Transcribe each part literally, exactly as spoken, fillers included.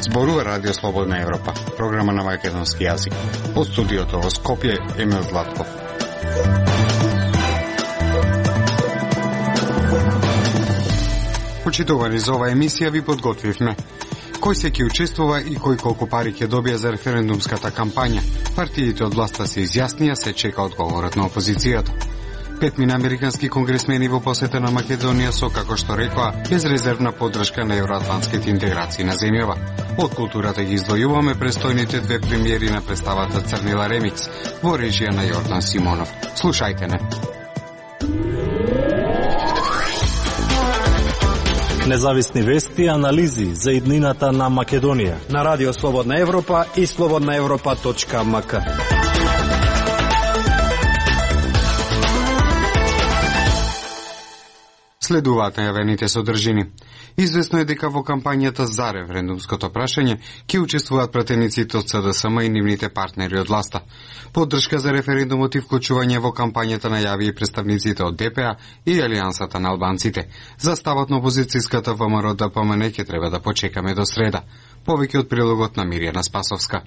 Зборува Радио Слободна Европа, програма на македонски јазик. Од студиото во Скопје, Емил Златков. Почитувани за оваа емисија ви подготвивме. Кој се ќе учествува и кој колку пари ќе добија за референдумската кампања? Партиите од власта се изјаснија, се чека одговорот на опозицијата. Петмина американски конгресмени во посета на Македонија со, како што рекоа, безрезервна поддршка на евроатлантските интеграции на земјава. Од културата ги издвојуваме престојните две премиери на представата Црнила Ремикс во режија на Јордан Симонов. Слушајте не. Независни вести и анализи за иднината на Македонија на Радио Слободна Европа и слободна европа точка ем ка. Следуваат најавените содржини. Известно е дека во кампањата за референдумското прашање ќе учествуваат пратениците од Се Де Ес Ем и нивните партнери од власта. Поддршка за референдумот и вклучување во кампањата најави и представниците од Де Пе А и Алијансата на албанците. За ставот на опозицијската Вэ Ем Ро Де Пе Ем Ен ќе треба да почекаме до среда. Повеќе од прилогот на Миријана Спасовска.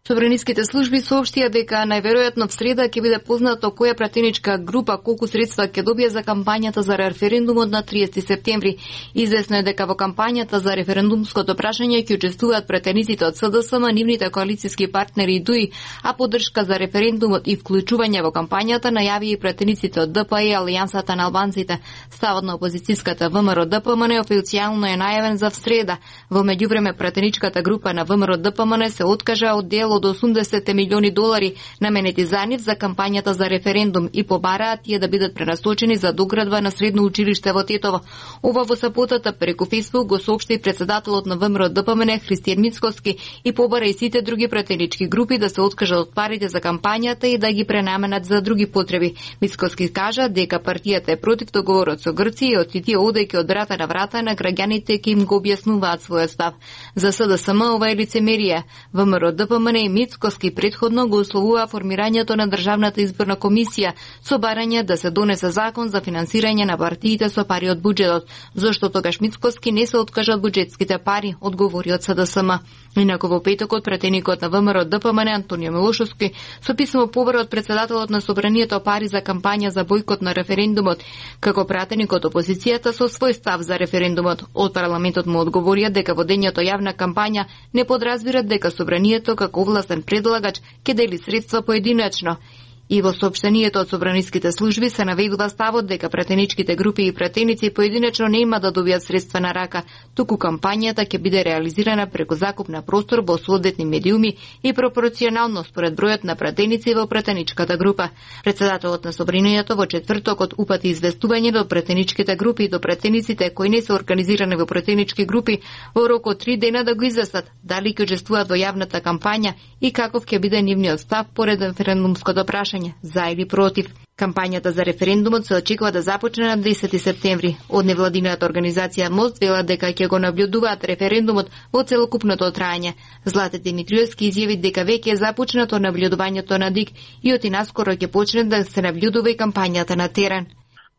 Собраниските служби соопштија дека најверојатно в среда ќе биде познато која пратеничка група колку средства ќе добие за кампањата за референдумот на триесети септември. Известно е дека во кампањата за референдумското прашање ќе учествуваат пратениците од Се Де Ес Ем, нивните коалициски партнери и ДУИ, а поддршка за референдумот и вклучување во кампањата најави и пратениците од Де Пе А и Алијансата на албанците. Ставот на опозицијската Вэ Ем Ро Де Пе Ем Ен официјално е најавен за в среда. Во меѓувреме пратеничката група на Вэ Ем Ро Де Пе Ем Ен се откажа од дел од осумдесет милиони долари наменети за нив за кампањата за референдум и побараат тие да бидат пренасочени за доградба на средно училиште во Тетово. Ова во саботата преку Фејсбук го соопшти председателот на Вэ Ем Ро Де Пе Ем Ен Христијан Мицкоски и побара и сите други пратенички групи да се откажат од парите за кампањата и да ги пренаменат за други потреби. Мицкоски кажа дека партијата е против договорот со Грција и од тие одејќи од врата на врата на граѓаните ќе им го објаснуваат својот став. За Се Де Ес Ем ова е лицемерие. Вэ Ем Ро Де Пе Ем Ен и Мицкоски предходно го условува формирањето на Државната изборна комисија со барање да се донесе закон за финансирање на партиите со пари од буџетот, зашто тогаш Мицкоски не се откажа од буџетските пари, одговори од Се Де Ес Ем. Инаку во петокот пратеникот на Вэ Ем Ро Де Пе Ем Ен Антонио Милошовски со писмо побара од председателот на собранието пари за кампања за бојкот на референдумот, како пратеник од опозицијата со свој став за референдумот. Од парламентот му одговорија дека водењето јавна кампања не подразбират дека собранието како овластен предлагач ќе дели средства поединачно. И во соопштението од собраниските служби се наведува ставот дека пратеничките групи и пратеници поединечно не има да добијат средства на рака, туку кампањата ќе биде реализирана преку закуп на простор во соодветни медиуми и пропорционално според бројот на пратеници во пратеничката група. Председателот на собранието во четвртокот упати известување до пратеничките групи и до пратениците кои не се организирани во пратенички групи во рок од три дена да го известат дали ќе учествуваат во јавната кампања и каков ќе биде нивниот став поред референдумското прашање, за или против. Кампањата за референдумот се очекува да започне на десети септември. Од невладината организација Мост вела дека ќе го наблюдуваат референдумот во целокупното траење. Злате Димитриевски изјави дека веќе е започнато наблюдувањето на ДИК и оти наскоро ќе почне да се наблюдува и кампањата на терен.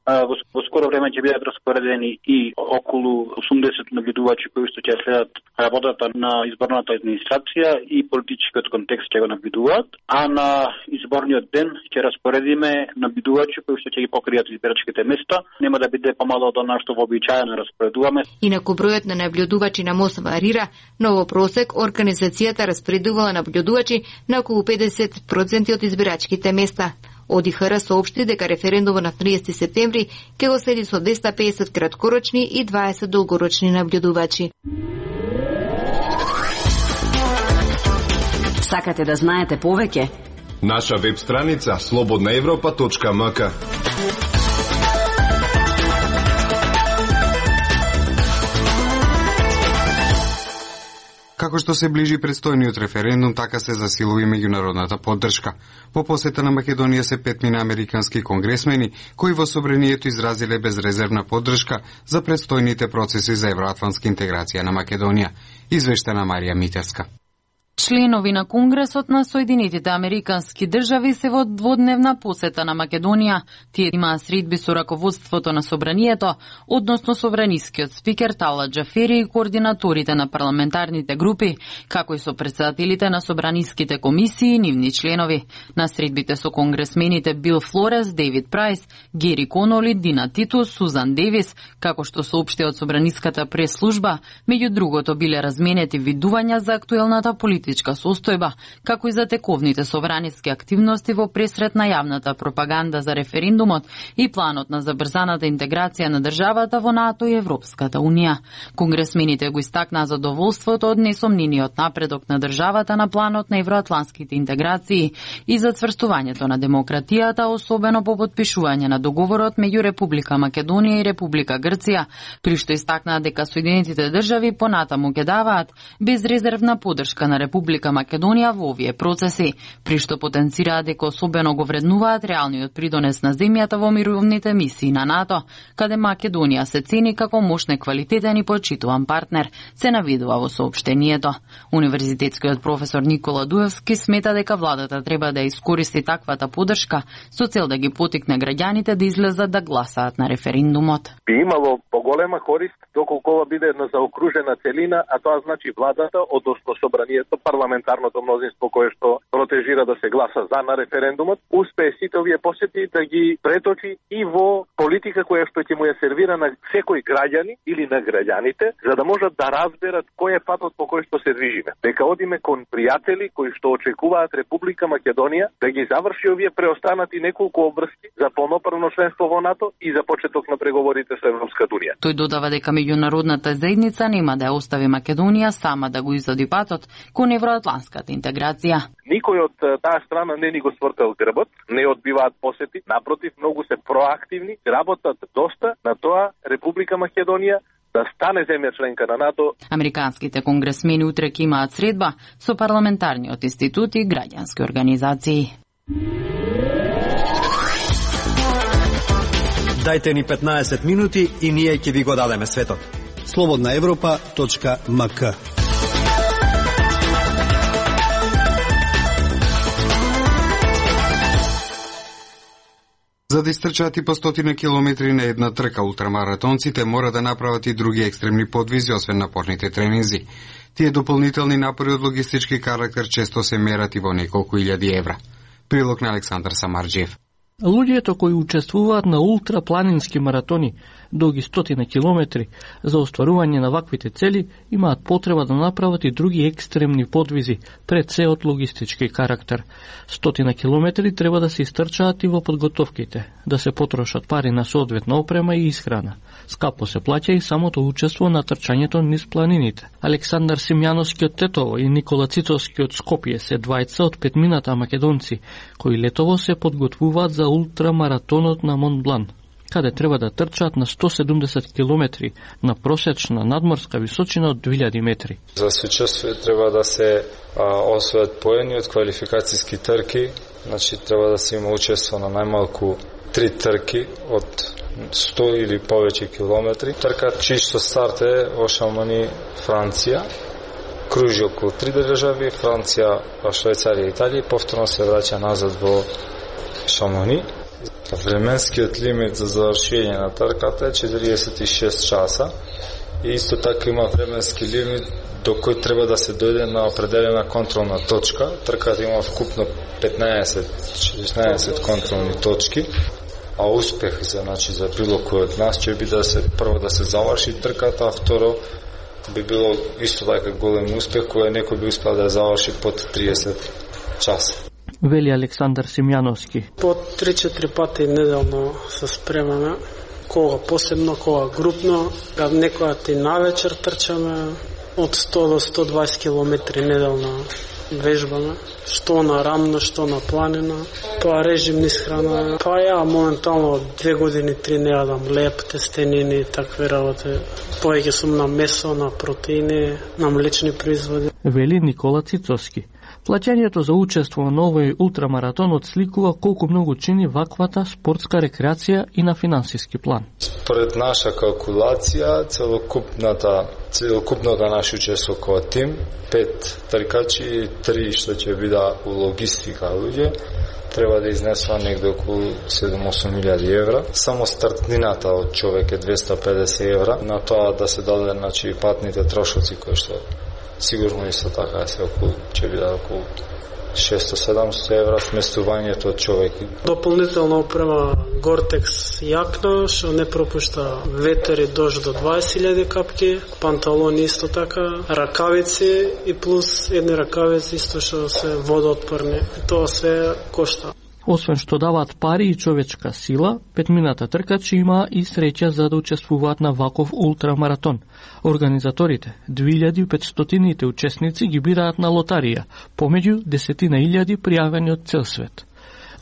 Во, во скоро време ќе бидат распоредени и околу осумдесет наблюдувачи кои што ќе следат работата на изборната администрација и политичкиот контекст ќе го наблюдуваат, а на изборниот ден ќе распоредиме наблюдувачи кои што ќе ги покријат избирачките места. Нема да биде помало од она што вообичаено распоредуваме. Инаку бројот на наблюдувачи на Мост варира, но во просек организацијата распоредувала наблюдувачи на околу педесет проценти од избирачките места. О Д И Х Р соопшти дека референдумот на триесети септември ќе го следи со двеста и педесет краткорочни и дваесет долгорочни наблюдувачи. Сакате да знаете повеќе? Наша веб страница слободна европа точка ем ка. Како што се ближи предстојниот референдум, така се засилува и меѓународната поддршка. Во посета на Македонија се петмина американски конгресмени, кои во собранието изразиле безрезервна поддршка за предстојните процеси за евроатлантска интеграција на Македонија. Извештена Марија Митерска. Членови на Конгресот на Соединетите Американски држави се во дводневна посета на Македонија. Тие имаа средби со раководството на собранието, односно собранискиот спикер Тала Џафери и координаторите на парламентарните групи, како и со претседателите на собраниските комисии и нивни членови. На средбите со конгресмените Бил Флорес, Дейвид Прајс, Гери Коноли, Дина Титус, Сузан Девис, како што соопшти од собраниската прес-служба, меѓу другото биле разменети видувања за актуелната политичка состојба, како и за тековните собраниски активности во пресред на јавната пропаганда за референдумот и планот на забрзаната интеграција на државата во НАТО и Европската Унија. Конгресмените го истакнаа задоволството од несомнениот напредок на државата на планот на евроатланските интеграции и зацврстувањето на демократијата, особено по подпишување на договорот меѓу Република Македонија и Република Грција, при што истакнаа дека Соединетите држави понатаму ќе даваат безрезервна поддршка на Република Македонија во овие процеси, при што потенцираат дека особено го вреднуваат реалниот придонес на земјата во мировните мисии на НАТО, каде Македонија се цени како мощен, квалитетен и почитуван партнер, се навидува во соопштението. Универзитетскиот професор Никола Дуевски смета дека владата треба да искористи таквата поддршка со цел да ги потикне граѓаните да излезат да гласаат на референдумот. Би имало поголема корист доколку ова биде една заокружена целина, а тоа значи владата, односно собранието, парламентарното мнозинство кое што протежира да се гласа за на референдумот, успее сите овие посети да ги преточи и во политика која што ќе му ја сервира на секој граѓани или на граѓаните, за да можат да разберат кој е патот по кој што се движиме. Дека одиме кон пријатели кои што очекуваат Република Македонија да ги заврши овие преостанати неколку обврски за полноправно членство во НАТО и за почеток на преговорите со Европската Унија. Тој додава дека меѓународната заедница нема да ја остави Македонија сама да го изоди патот кон евроатланската интеграција. Никој од таа страна не ни го свртел грбот, не одбиваат посети, напротив, многу се проактивни, работат доста на тоа Република Македонија да стане земја членка на НАТО. Американските конгресмени утре ќе имаат средба со парламентарниот институт и граѓански организации. Дајте ни петнаесет минути и ние ќе ви го дадеме светот. слободна европа точка ем ка. За да истрчаат и по стотина километри на една трка, ултрамаратонците мора да направат и други екстремни подвизи, освен напорните тренинзи. Тие дополнителни напори од логистички карактер често се мерат и во неколку илјади евра. Прилог на Александар Самарџиев. Луѓето кои учествуваат на ултрапланински маратони, долги стотина километри, за остварување на ваквите цели, имаат потреба да направат и други екстремни подвизи, пред се од логистички карактер. Стотина километри треба да се истрчаат и во подготовките, да се потрошат пари на соодветна опрема и исхрана. Скапо се плаќа и самото учество на трчањето низ планините. Александар Симјановски од Тетово и Никола Цицовски од Скопје се двајца од петмината македонци, кои летово се подготвуваат за ултрамаратонот на Монблан, каде треба да трчаат на сто седумдесет километри на просечна надморска височина од две илјади метри. За соучествие треба да се а, освојат поени од квалификацијски трки, значи треба да се има учество на најмалку три трки од сто или повеќе километри. Трката чисто старт е во Шамони, Франција, кружи околу три држави, Франција, Швајцарија и Италија, повторно се враќа назад во Шамони. Временскиот лимит за завршење на трката е четириесет и шест часа и исто така има временски лимит до кој треба да се дојде на определена контролна точка. Трката има вкупно петнаесет-шеснаесет контролни точки, а успех за, значи, за било кој од нас ќе биде да се прво да се заврши трката, а второ би било исто така голем успех кој некој би успел да заврши под триесет часа. Вели Александар Симјановски. По три-четири пати неделно се спремаме, кога посебно, кога групно, кога некоја и навечер трчаме, од сто до сто дваесет километри неделно вежбаме, што на рамна, што на планина, тоа режим низ храна. Па ја моментално две години, три не јадам леп, тестенини, такви работи. Повеќе сум на месо, на протеини, на млечни производи. Вели Никола Цицовски. Плаќањето за учество на овој ултрамаратон отсликува колку многу чини ваквата спортска рекреација и на финансиски план. Според наша калкулација, целокупната целокупното наше учество како тим, пет тркачи и три што ќе биде у логистика луѓе, треба да изнесува негде околу седум-осум илјади евра. Само стартнината од човек е двеста и педесет евра. На тоа да се даде, значи, патните трошоци кои што сигурно исто така се околу ќе биде околу шесто-седамсто евра сместувањето од човек. Дополнително опрема Гортекс јакна, што не пропушта ветер и дожд до дваесет илјади капки, панталони исто така, ракавици и плюс едни ракавици исто што се водоотпорни. Тоа се кошта. Освен што даваат пари и човечка сила, петмината тркачи има и среќа за да учествуваат на ваков ултрамаратон. Организаторите, две илјади и петстотините учесници ги бираат на лотарија, помеѓу десетина илјади пријавени од цел свет.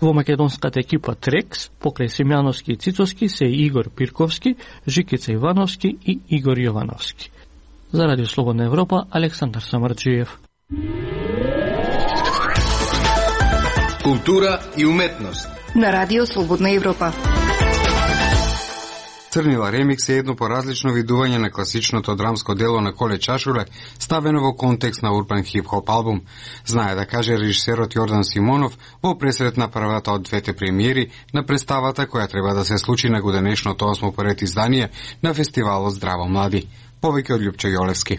Во македонската екипа Трекс, покрај Симјановски и Цицоски се Игор Пирковски, Жикица Ивановски и Игор Јовановски. За Радио Слободна Европа, Александар Самарджиев. Култура и уметност на Радио Слободна Европа. Црнила ремикс е едно поразлично видување на класичното драмско дело на Коле Чашуле, ставено во контекст на урбан хип-хоп албум. Знае да каже режисерот Јордан Симонов во пресрет на првата од двете премиери на представата која треба да се случи на годинешното осмо поред издание на фестивалот Здраво млади. Повеќе од Љупчо Јолевски.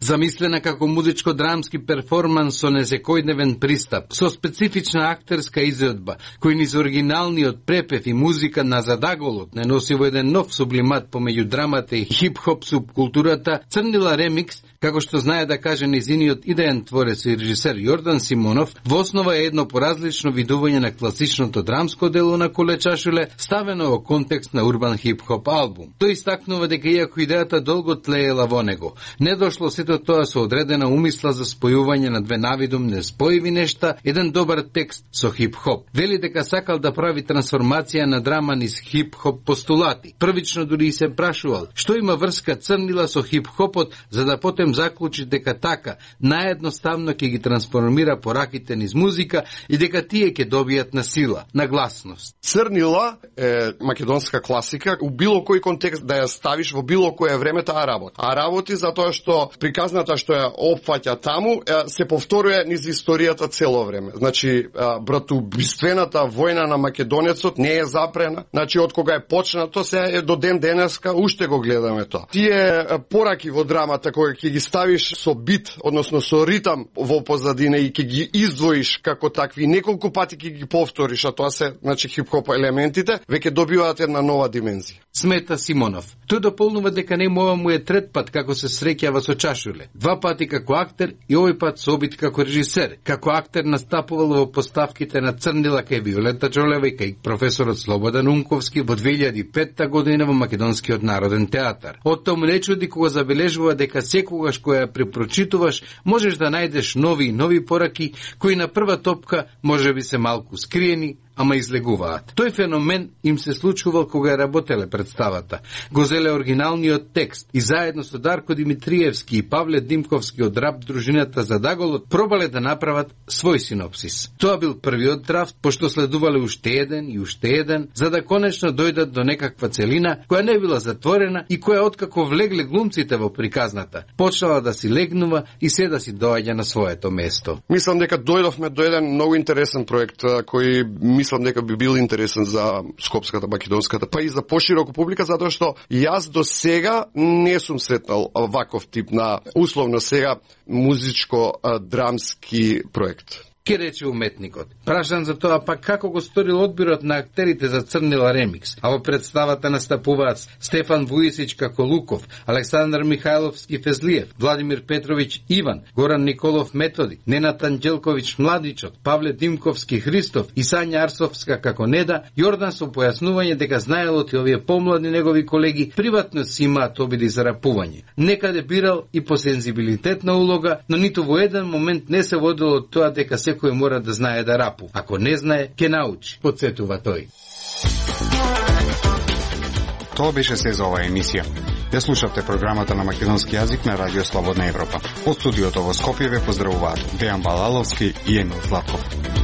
Замислена како музичко-драмски перформанс со несекојдневен пристап, со специфична актерска изvedба, кој низ оригиналниот препев и музика на задаголот не носи во еден нов сублимат помеѓу драмата и хип-хоп субкултурата, Црнила ремикс, како што знае да каже низиниот идеен творец и режисер Јордан Симонов, во основа е едно поразлично видување на класичното драмско дело на Коле Чашуле, ставено во контекст на урбан хип-хоп албум. Тој истакнува дека иако идејата долго тлеела во него, не дошло сето тоа со одредена умисла за спојување на две навидум неспојиви нешта, еден добар текст со хип-хоп. Вели дека сакал да прави трансформација на драма низ хип-хоп постулати. Првично дури и се прашувал што има врска Црнила со хип-хопот, за да потем заклучи дека така наједноставно ќе ги трансформира пораките низ музика и дека тие ќе добијат на сила, на гласност. Црнила е македонска класика, у било кој контекст да ја ставиш во било кое време таа работи. А работи затоа што приказната што ја опфаќа таму се повторува низ историјата цело време. Значи братоубиствената војна на македонецот не е запрена. Значи од кога е почнато се е до ден денеска уште го гледаме тоа. Тие пораки во драмата кога ќе ги ставиш со бит, односно со ритам во позадина и ќе ги издвоиш како такви, неколку пати ќе ги повториш, а тоа се, значи, хип-хоп елементите, веќе добиваат една нова димензија. Смета Симонов. Тој дополнува дека нему ова му е трет пат како се среќава со Чашуле. Два пати како актер и овој пат со обид како режисер. Како актер настапувал во поставките на Црнила кај Виолета Џолева и кај професорот Слободан Унковски во две илјади и петта година во Македонскиот народен театар. Од тоа му не чуди кога забележува дека секогаш која ја препрочитуваш, можеш да најдеш нови и нови пораки кои на прва топка може би се малку скриени, ама излегуваат. Тој феномен им се случувал кога работеле представата. Го зеле оригиналниот текст и заедно со Дарко Димитриевски и Павле Димковски од рап дружината Задаголот пробале да направат свој синопсис. Тоа бил првиот драфт, пошто следувале уште еден и уште еден, за да конечно дојдат до некаква целина која не била затворена и која откако влегле глумците во приказната, почнала да си легнува и се да си доаѓа на своето место. Мислам дека дојдовме до еден многу интересен проект кој мислам дека би бил интересен за скопската, македонската, па и за поширока публика, затоа што јас до сега не сум сретнал ваков тип на условно сега музичко-драмски проект. Ке рече уметникот. Прашан за тоа пак како го сторил одбирот на актерите за Црнила ремикс, а во представата настапуваат Стефан Вујсич како Луков, Александар Михајловски Фезлиев, Владимир Петровиќ Иван, Горан Николов Методи, Ненат Анđелковиќ Младичот, Павле Димковски Христов и Сања Арсовска како Неда. Јордан со појаснување дека знаелот и овие помлади негови колеги приватно си имаат обиди за рапување. Некаде бирал и по сензибилитетна улога, но ниту во еден момент не се водило од тоа дека секој мора да знае да рапу. Ако не знае, ќе научи, подсетува тој. Тоа беше се за оваа емисија. Ја слушавте програмата на македонски јазик на Радио Слободна Европа. Од студиото во Скопје ве поздравуваат Дејан Балаловски и Емил Златков.